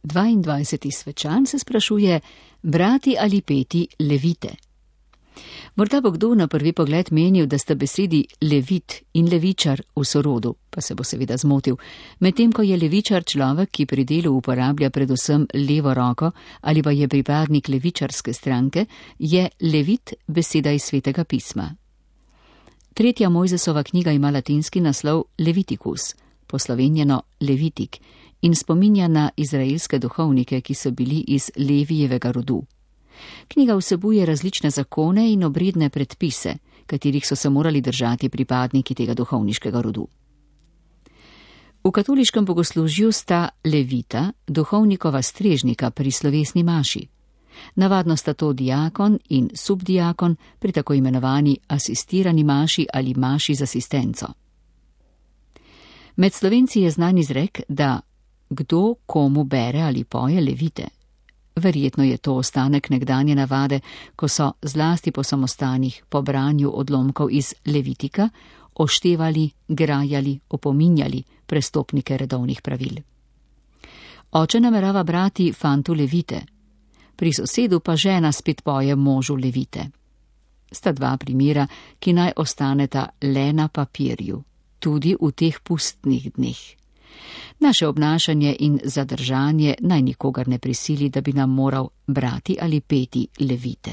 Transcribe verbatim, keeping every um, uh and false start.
dvaindvajseti svečan se sprašuje, brati ali peti levite. Morda bo kdo na prvi pogled menil, da sta besedi levit in levičar v sorodu, pa se bo seveda zmotil, medtem ko je levičar človek, ki pri delu uporablja predvsem levo roko ali pa je pripadnik levičarske stranke, je levit beseda iz Svetega pisma. Tretja Mojzesova knjiga ima latinski naslov Leviticus, poslovenjeno Levitik, in spominja na izraelske duhovnike, ki so bili iz Levijevega rodu. Knjiga vsebuje različne zakone in obredne predpise, katerih so se morali držati pripadniki tega duhovniškega rodu. V katoliškem bogoslužju sta levita, duhovnikova strežnika pri slovesni maši. Navadno sta to diakon in subdiakon pri tako imenovani asistirani maši ali maši z asistenco. Med Slovenci je znan izrek, da kdo komu bere ali poje levite. Verjetno je to ostanek nekdanje navade, ko so zlasti po samostanih po branju odlomkov iz Levitika oštevali, grajali, opominjali prestopnike redovnih pravil. Oče namerava brati fantu levite, pri sosedu pa žena spet poje možu levite. Sta dva primera, ki naj ostaneta le na papirju, tudi v teh pustnih dneh. Naše obnašanje in zadržanje naj nikogar ne prisili, da bi nam moral brati ali peti levite.